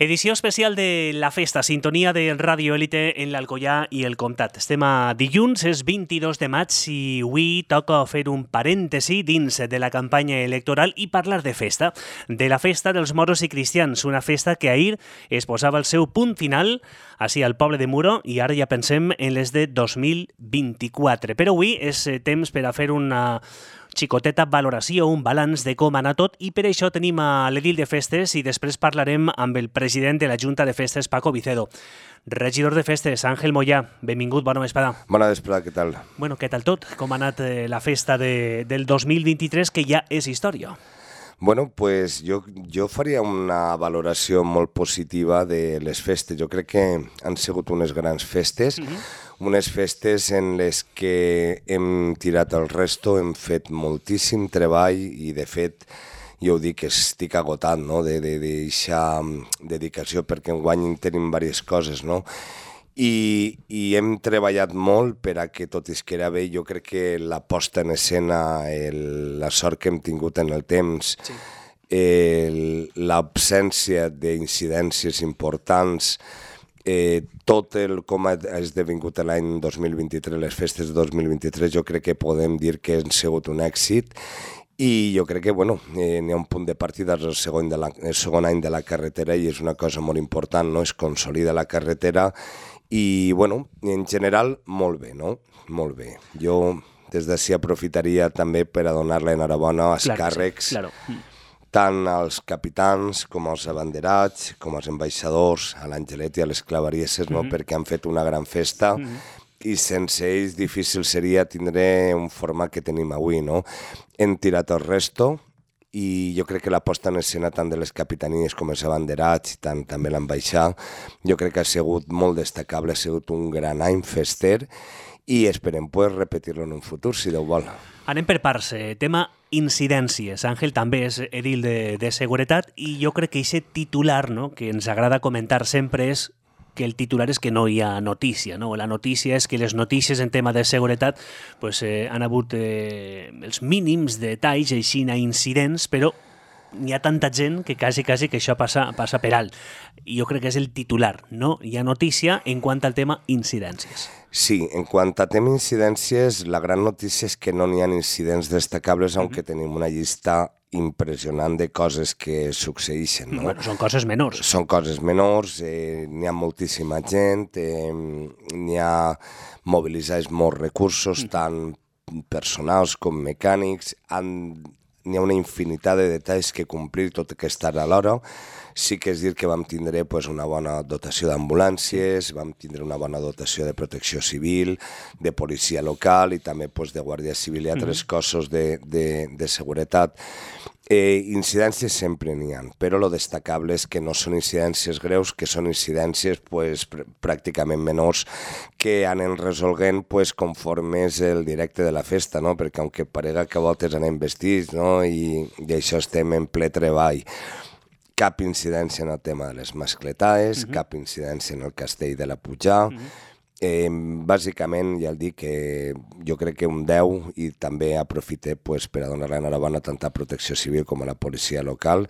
Edició especial de La Festa, sintonia de Ràdio Élite en l'Alcoià i el Comtat. Estem a dilluns, és 22 de maig i avui toca fer un parèntesi dins de la campanya electoral i parlar de festa, de la festa dels moros i cristians, una festa que ahir es posava el seu punt final així al poble de Muro i ara ja pensem en les de 2024. Però avui és temps per a fer una xicoteta valoració, un balanç de com anar tot i per això tenim a l'edil de festes i després parlarem amb el president de la Junta de Festes, Paco Vicedo. Regidor de Festes, Àngel Moyà, benvingut, bona vesprada. Bona vesprada, què tal? Bueno, què tal tot? Com ha anat la festa del 2023, que ja és història? Bueno, pues jo faria una valoració molt positiva de les festes. Jo crec que han sigut unes grans festes, unes festes en les que hem tirat el resto, hem fet moltíssim treball i, de fet, jo ho dic, estic agotat, no?, de deixar dedicació, perquè enguany tenim diverses coses, no?, i hem treballat molt per a que tot isquera bé. Jo crec que la posta en escena, la sort que hem tingut en el temps, sí, l'absència d'incidències importants, tot com ha esdevingut l'any 2023, les festes de 2023, jo crec que podem dir que han sigut un èxit. I jo crec que n'hi ha un punt de partida, el segon any de la carretera, i és una cosa molt important, no? Es consolida la carretera i, en general, molt bé, no? Molt bé. Jo des d'ací aprofitaria també per a donar l'enhorabona als càrrecs, tant als capitans com als abanderats, com als ambaixadors, a l'Angelet i a les clavarieses, no? Perquè han fet una gran festa, i sense ells difícil seria tindre un format que tenim avui, no? Hem tirat el resto i jo crec que la posta en escena tant de les capitanies com els abanderats i tant també l'ambaixada, jo crec que ha sigut molt destacable, ha sigut un gran any fester i esperem repetir-lo en un futur, si Déu vol. Anem per parts. Tema incidències. Àngel també és edil de seguretat i jo crec que aquest titular, no?, que ens agrada comentar sempre és que el titular és que no hi ha notícia, no? La notícia és que les notícies en tema de seguretat han hagut els mínims detalls, així, incidents, però hi ha tanta gent que quasi que això passa per alt. I jo crec que és el titular, no? Hi ha notícia en quant al tema incidències. Sí, en quant a tema incidències, la gran notícia és que no n'hi ha incidents destacables, aunque tenim una llista impressionant de coses que succeeixen, no? Bueno, són coses menors. Són coses menors, n'hi ha moltíssima gent, n'hi ha mobilitzats molts recursos, tant personals com mecànics, n'hi ha una infinitat de detalls que complir tot que estar a l'hora. Sí que és dir que vam tindre una bona dotació d'ambulàncies, vam tindre una bona dotació de protecció civil, de policia local i també de guàrdia civil i altres cossos de seguretat. Incidències sempre n'hi ha, però el destacable és que no són incidències greus, que són incidències pràcticament menors que anem resolguent conforme és el directe de la festa, no? Perquè aunque parega que a voltes anem vestits, no? I això estem en ple treball. Cap incidència en el tema de les mascletaes, cap incidència en el castell de la Pujà. Bàsicament, ja el dic, que jo crec que un 10, i també aprofite per a donar l'enhorabona tant a Protecció Civil com a la policia local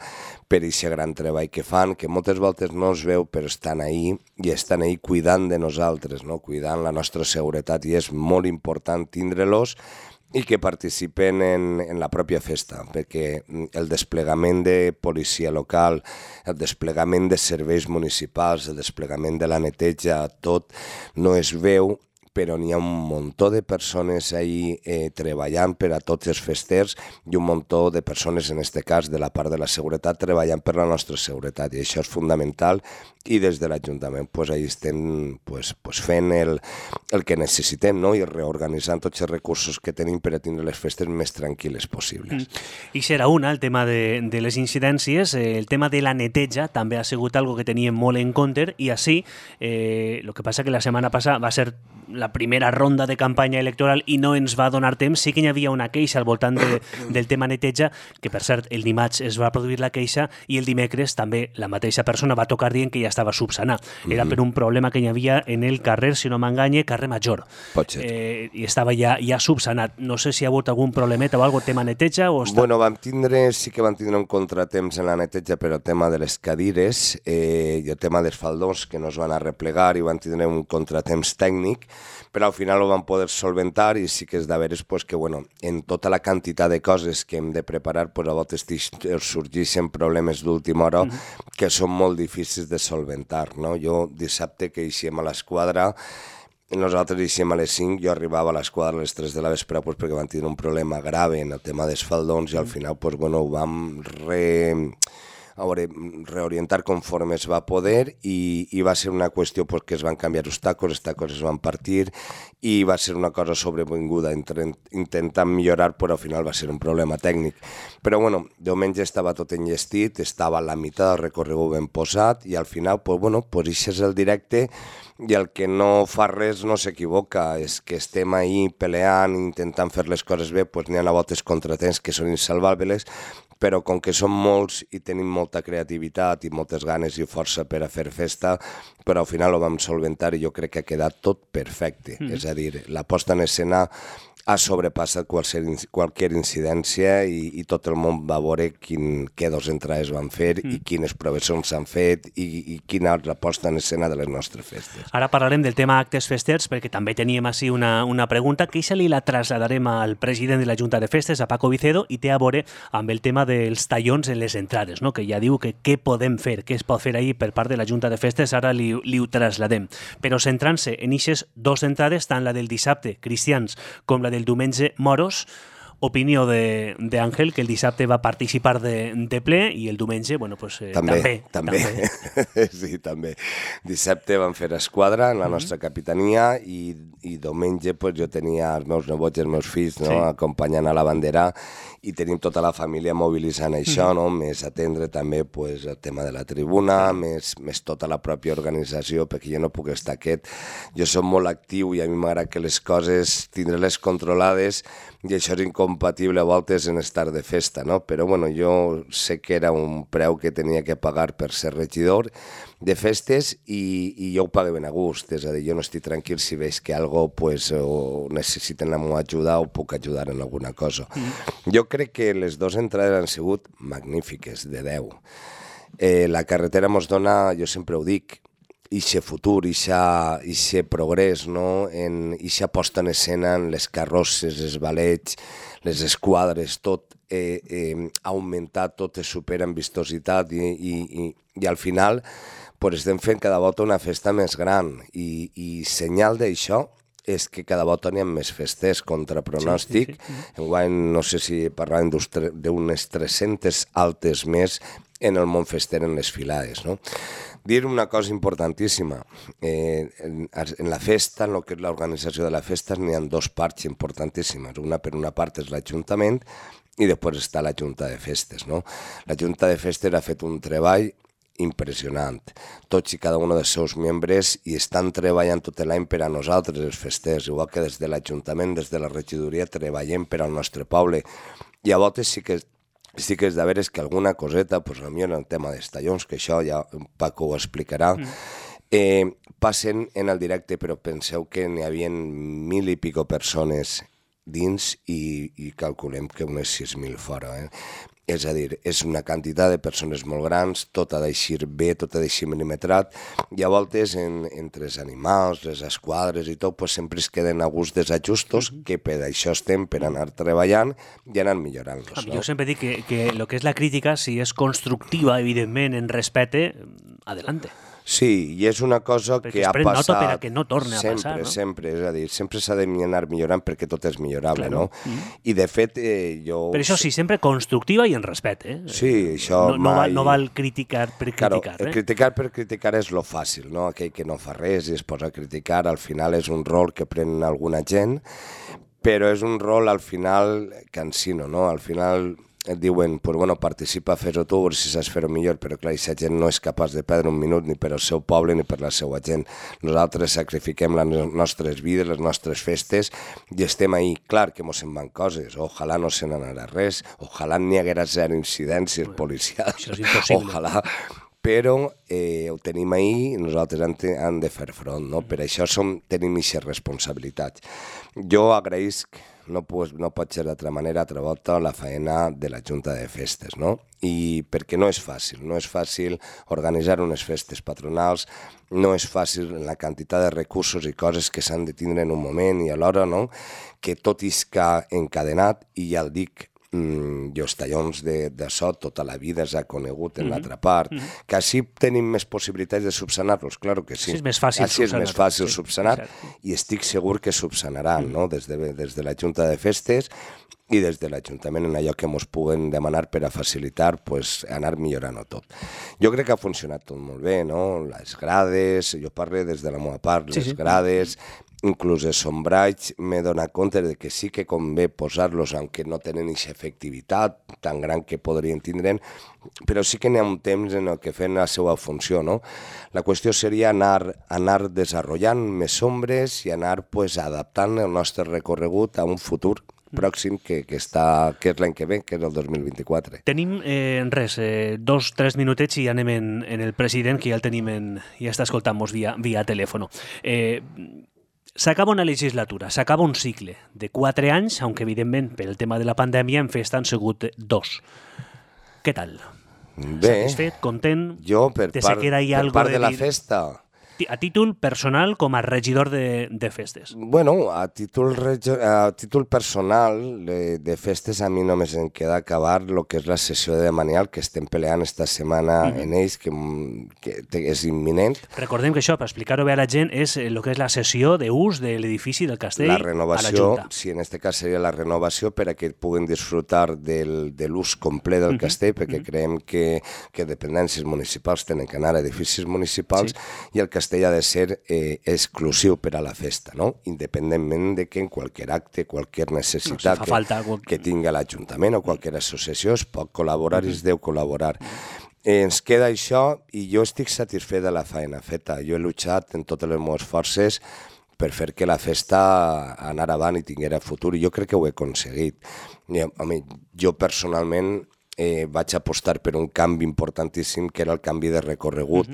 per aquest gran treball que fan, que moltes voltes no es veu, però estan ahí i estan ahí cuidant de nosaltres, no? Cuidant la nostra seguretat, i és molt important tindre-los i que participen en la pròpia festa, perquè el desplegament de policia local, el desplegament de serveis municipals, el desplegament de la neteja, tot no es veu, però n'hi ha un muntó de persones ahí treballant per a tots els festers i un muntó de persones, en aquest cas, de la part de la seguretat, treballant per la nostra seguretat, i això és fundamental, i des de l'Ajuntament ahí estem fent el que necessitem, no? I reorganitzant tots els recursos que tenim per a tindre les festes més tranquil·les possibles. I serà el tema de les incidències. El tema de la neteja també ha sigut algo que teníem molt en compte, i així, el que passa que la setmana passada va ser la primera ronda de campanya electoral i no ens va donar temps, sí que hi havia una queixa al voltant del tema neteja, que per cert, el dimarts es va produir la queixa i el dimecres també la mateixa persona va tocar dient que ja estava subsanat. Era per un problema que hi havia en el carrer, si no m'enganye, carrer Major. Pot ser. I estava ja subsanat. No sé si hi ha hagut algun problemeta o alguna tema neteja o està... Bueno, sí que vam tindre un contratemps en la neteja per el tema de les cadires i el tema dels faldons que no es van arreplegar i van tindre un contratemps tècnic, però al final ho van poder solventar i sí que és de veres que, bueno, en tota la quantitat de coses que hem de preparar, a voltes sorgeixen problemes d'última hora que són molt difícils de solventar, no? Jo dissabte que eixíem a l'esquadra, nosaltres eixíem a les 5, jo arribava a l'esquadra a les 3 de la vespre perquè van tenir un problema grave en el tema dels faldons i al final ho vam reorientar conforme es va poder i va ser una qüestió que es van canviar els tacos es van partir i va ser una cosa sobrevinguda intentant millorar, però al final va ser un problema tècnic. Però bueno, diumenge estava tot enllestit, estava a la meitat del recorregut ben posat i al final, això és el directe i el que no fa res no s'equivoca, és que estem ahí peleant, intentant fer les coses bé, n'hi ha a voltes contratemps que són insalvables, però com que som molts i tenim molta creativitat i moltes ganes i força per a fer festa, però al final ho vam solventar i jo crec que ha quedat tot perfecte. És a dir, la posta en escena ha sobrepassat qualsevol incidència i tot el món va veure què dos entrades van fer i quines proves s'han fet i quina és la posta en escena de les nostres festes. Ara parlarem del tema actes festers perquè també teníem així una pregunta que això li la traslladarem al president de la Junta de Festes, a Paco Vicedo, i té a veure amb el tema dels tallons en les entrades, no? Que ja diu que què podem fer, què es pot fer ahir per part de la Junta de Festes, ara li ho trasladem. Però centrant-se en aquestes dues entrades, tant la del dissabte, cristians, com la del diumenge, moros, opinió d'Àngel, que el dissabte va participar de ple i el diumenge, també. Sí, també. Dissabte vam fer esquadra en la nostra capitania i diumenge jo tenia els meus nebots i els meus fills acompanyant a la bandera i tenim tota la família mobilitzant això, més atendre també el tema de la tribuna, més tota la pròpia organització, perquè jo no puc estar quiet. Jo soc molt actiu i a mi m'agrada que les coses, tindre-les controlades, i això és incompatible a voltes en estar de festa, no? Però jo sé que era un preu que tenia que pagar per ser regidor de festes i jo ho pago ben a gust, és a dir, jo no estic tranquil si veig que algo o necessiten la meva ajuda o puc ajudar en alguna cosa. Jo crec que les dues entrades han sigut magnífiques, de 10. La carretera ens dona, jo sempre ho dic, ixe futur, ixe progrés, no? Ixa posta en escena en les carrosses, els ballets, les esquadres, tot ha augmentat, tot es supera en vistositat i al final estem fent cada volta una festa més gran i senyal d'això és que cada volta n'hi ha més festes contra pronòstic. Enguany no sé si parlàvem d'unes 300 altes més en el món fester en les filades, no? Dir una cosa importantíssima, en la festa, en el que és l'organització de la festa, n'hi ha dues parts importantíssimes. Per una part és l'Ajuntament i després està la Junta de Festes, no? La Junta de Festes ha fet un treball impressionant. Tots i cada un dels seus membres i estan treballant tot l'any per a nosaltres, els festers, igual que des de l'Ajuntament, des de la regidoria, treballem per al nostre poble. I a voltes sí que és de veres que alguna coseta, potser en el tema dels tallons, que això ja Paco ho explicarà, passen en el directe, però penseu que n'hi havia 1.000 i pico persones dins i calculem que unes 6.000 fora. És a dir, és una quantitat de persones molt grans, tot ha d'eixir bé, tot ha d'eixir milimetrat, i a voltes entre els animals, les esquadres i tot, sempre es queden a gust dels ajustos, que per això estem, per anar treballant i anar millorant-los. Jo sempre dic que el que és la crítica, si és constructiva, evidentment, en respecte, adelante. Sí, i és una cosa que ha passat... Perquè es pren nota per a que no torni a passar, no? Sempre, és a dir, sempre s'ha d'anar millorant perquè tot és millorable, no? I de fet, jo... Però això sí, sempre constructiva i en respecte, Sí, això mai... No val criticar per criticar, Claro, criticar per criticar és lo fàcil, no? Aquell que no fa res i es posa a criticar, al final és un rol que pren alguna gent, però és un rol al final cansino, no? Al final et diuen, pues bueno, participa, fes-ho tu, si saps fer-ho millor, però clar, aquesta gent no és capaç de perdre un minut ni per al seu poble ni per la seva gent. Nosaltres sacrifiquem les nostres vides, les nostres festes, i estem ahí. Clar que mos en van coses, ojalà no se n'anarà res, ojalà n'hi haguera zero incidències policials, això és impossible. ojalà, però ho tenim ahí i nosaltres hem de fer front, no? Per això tenim aquestes responsabilitats. Jo agraïsc, no pot ser d'altra manera, altra volta, la feina de la Junta de Festes, no? I perquè no és fàcil organitzar unes festes patronals, no és fàcil la quantitat de recursos i coses que s'han de tindre en un moment i alhora, no? Que tot isca encadenat, i ja el dic, jo els tallons de so tota la vida s'ha conegut en l'altra part, que així tenim més possibilitats de subsanar-los, clar que sí. Així és més fàcil així és més fàcil subsanar, i estic segur que subsanaran, no? Des de la Junta de Festes i des de l'Ajuntament en allò que ens puguen demanar per a facilitar, pues, anar millorant-ho tot. Jo crec que ha funcionat tot molt bé, no? Les grades, jo parlo des de la meva part, les grades, inclús els sombrats, m'he donat compte de que sí que convé posar-los, aunque no tenen aquesta efectivitat tan gran que podrien tindre, però sí que n'hi ha un temps en el que fem la seva funció, no? La qüestió seria anar desenvolupant més sombres i anar pues, adaptant el nostre recorregut a un futur pròxim que és l'any que ve, que és el 2024. Tenim 2-3 minutets i anem en el president, que ja el tenim ja està escoltant-nos via telèfon. S'acaba una legislatura, s'acaba un cicle de 4 anys, aunque evidentment per el tema de la pandèmia en festa han sigut 2. Què tal? Bé, satisfet, content? Jo, per part de la festa... A títol personal com a regidor de festes. Bueno, a títol personal de festes a mi només em queda acabar el que és la sessió de Manial, que estem peleant esta setmana en ells, que és imminent. Recordem que això, per explicar-ho bé a la gent, és el que és la sessió d'ús de l'edifici del castell a la Junta. Sí, en aquest cas seria la renovació per a que puguin disfrutar de l'ús complet del castell, perquè creiem que dependències municipals tenen que anar a edificis municipals i el castell ha de ser exclusiu per a la festa, no? Independentment de que en qualsevol acte, qualsevol necessitat que tingui l'Ajuntament o qualsevol associació es pot col·laborar i es deu col·laborar. Ens queda això i jo estic satisfet de la feina feta. Jo he lluitat en totes les meves forces per fer que la festa anara avant i tinguera futur, i jo crec que ho he aconseguit. Jo personalment vaig apostar per un canvi importantíssim, que era el canvi de recorregut.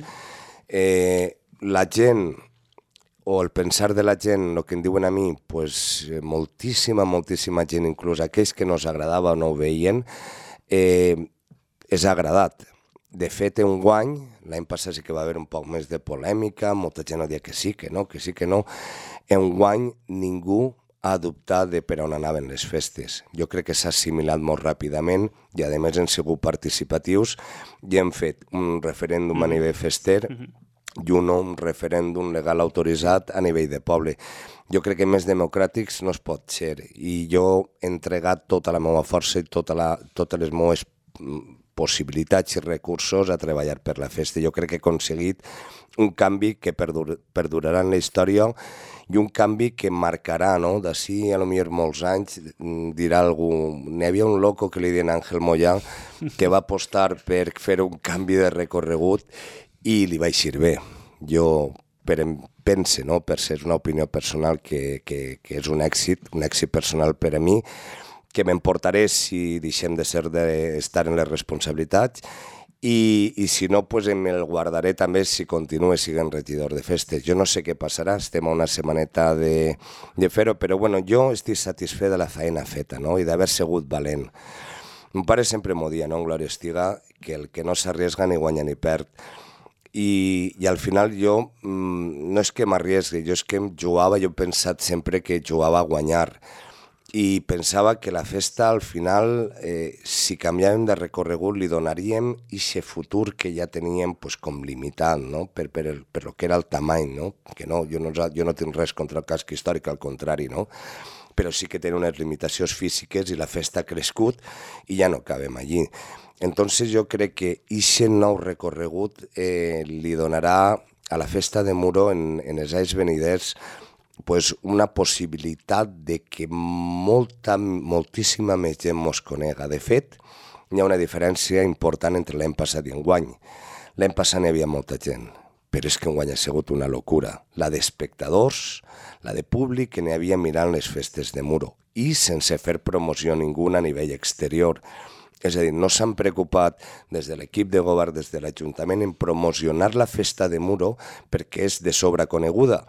La gent, o el pensar de la gent, el que em diuen a mi, pues, moltíssima gent, inclús aquells que no us agradava o no ho veien, és agradat. De fet, enguany, l'any passat sí que va haver un poc més de polèmica, molta gent deia que sí, que no. Enguany ningú ha dubtat de per on anaven les festes. Jo crec que s'ha assimilat molt ràpidament i, a més, hem sigut participatius i hem fet un referèndum a nivell fester i un referèndum legal autoritzat a nivell de poble. Jo crec que més democràtics no es pot ser, i jo he entregat tota la meva força i totes les meves possibilitats i recursos a treballar per la festa. Jo crec que he aconseguit un canvi que perdurarà en la història i un canvi que marcarà, no? D'ací a lo millor molts anys dirà algú, n'hi havia un loco que li deien Àngel Mollà que va apostar per fer un canvi de recorregut i li va eixir bé. Jo pense, no? Per ser una opinió personal, que és un èxit personal per a mi, que m'emportaré si deixem d'estar en les responsabilitats, i si no, pues me'l guardaré també si continuo sent regidor de festes. Jo no sé què passarà, estem a una setmaneta de fer-ho, però bueno, jo estic satisfet de la feina feta, no? I d'haver sigut valent. Mon pare sempre m'ho dia, no? En Glòria estiga, que el que no s'arriesga ni guanya ni perd. I al final jo no és que m'arriesgui, jo és que jugava, jo he pensat sempre que jugava a guanyar, i pensava que la festa al final, si canviàvem de recorregut, li donaríem aquest futur que ja teníem pues, com limitat, no? per lo que era el tamany, no? Que no, jo no tinc res contra el casc històric, al contrari, no? Però sí que té unes limitacions físiques i la festa ha crescut i ja no cabem allí. Entonces jo crec que aquest nou recorregut li donarà a la festa de Muro en els anys veniders pues, una possibilitat de que moltíssima més gent mos conega. De fet, hi ha una diferència important entre l'any passat i enguany. L'any passat n'hi havia molta gent, però és que enguany ha sigut una locura. La d'espectadors, la de públic que n'hi havia mirant les festes de Muro i sense fer promoció ninguna a nivell exterior. És a dir, no s'han preocupat des de l'equip de govern, des de l'Ajuntament, en promocionar la festa de Muro perquè és de sobra coneguda.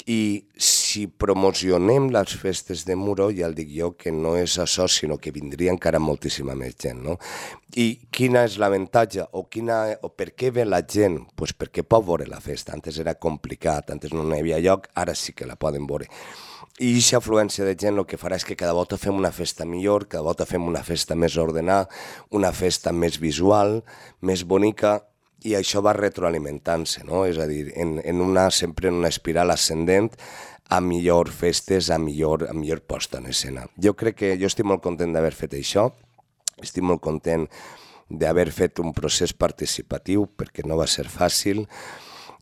I si promocionem les festes de Muro, ja el dic jo que no és això, sinó que vindria encara moltíssima més gent, no? I quina és l'avantatge o per què ve la gent? Pues perquè pot veure la festa. Antes era complicat, antes no hi havia lloc, ara sí que la poden veure. I aquesta afluència de gent el que farà és que cada volta fem una festa millor, cada volta fem una festa més ordenada, una festa més visual, més bonica, i això va retroalimentant-se, no? És a dir, sempre en una espiral ascendent a millor festes, a millor posta en escena. Jo crec que jo estic molt content d'haver fet això, estic molt content d'haver fet un procés participatiu perquè no va ser fàcil,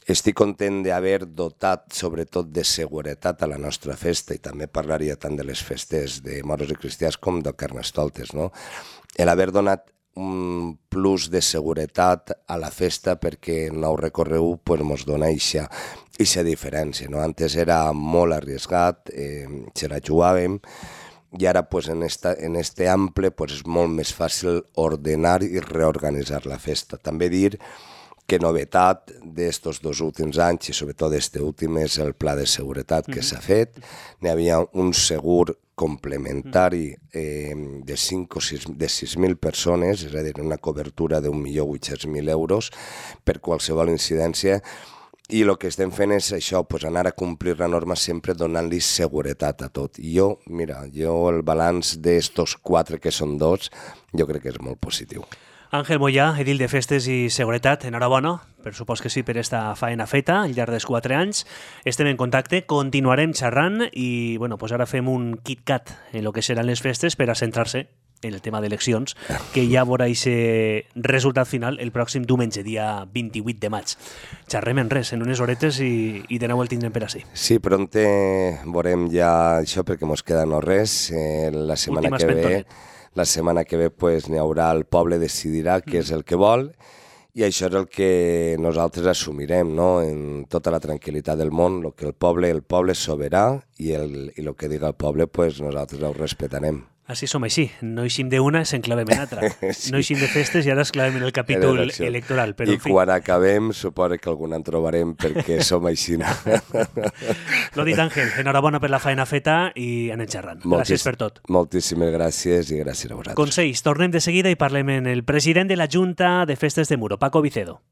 estic content d'haver dotat sobretot de seguretat a la nostra festa i també parlaria tant de les festes de moros i cristians com de Carnestoltes, no? L'haver donat un plus de seguretat a la festa perquè el nou recorregut pues, ens dona aquesta diferència. No? Antes era molt arriesgat, se la jugàvem, i ara pues, en este ample pues, és molt més fàcil ordenar i reorganitzar la festa. També dir que novetat d'estos 2 últims anys, i sobretot d'este últim, és el pla de seguretat que s'ha fet. N'hi havia un segur complementari de 6.000 persones, és a dir, una cobertura d'1.800.000 euros per qualsevol incidència, i el que estem fent és això, pues anar a complir la norma sempre donant-li seguretat a tot. I jo el balanç d'estos 4, que són 2, jo crec que és molt positiu. Àngel Moyà, edil de Festes i Seguretat, enhorabona, per supòs que sí, per esta faena feta al llarg dels 4 anys. Estem en contacte, continuarem xerrant i bueno, pues ara fem un KitKat en el que seran les festes per a centrar-se en el tema d'eleccions, que ja veurà aquest resultat final el pròxim diumenge, dia 28 de maig. Xerrem en res, en unes horetes i de nou el tindrem per ací. Sí, pronte veurem ja això perquè mos queda no res. La setmana que ve pues, n'hi haurà, el poble decidirà què és el que vol i això és el que nosaltres assumirem, no? En tota la tranquil·litat del món, el que el poble és soberà i el que diga el poble pues, nosaltres ho respetarem. Així som així, no eixim d'una, s'enclavem en altra. Sí. No eixim de festes i ara esclavem en el capítol electoral. Però, I quan acabem, suposo que algun en trobarem perquè som així. L'ho dit, Àngel, enhorabona per la feina feta i anem xerrant. Gràcies per tot. Moltíssimes gràcies i gràcies a vosaltres. Consells, tornem de seguida i parlem amb el president de la Junta de Festes de Muro, Paco Vicedo.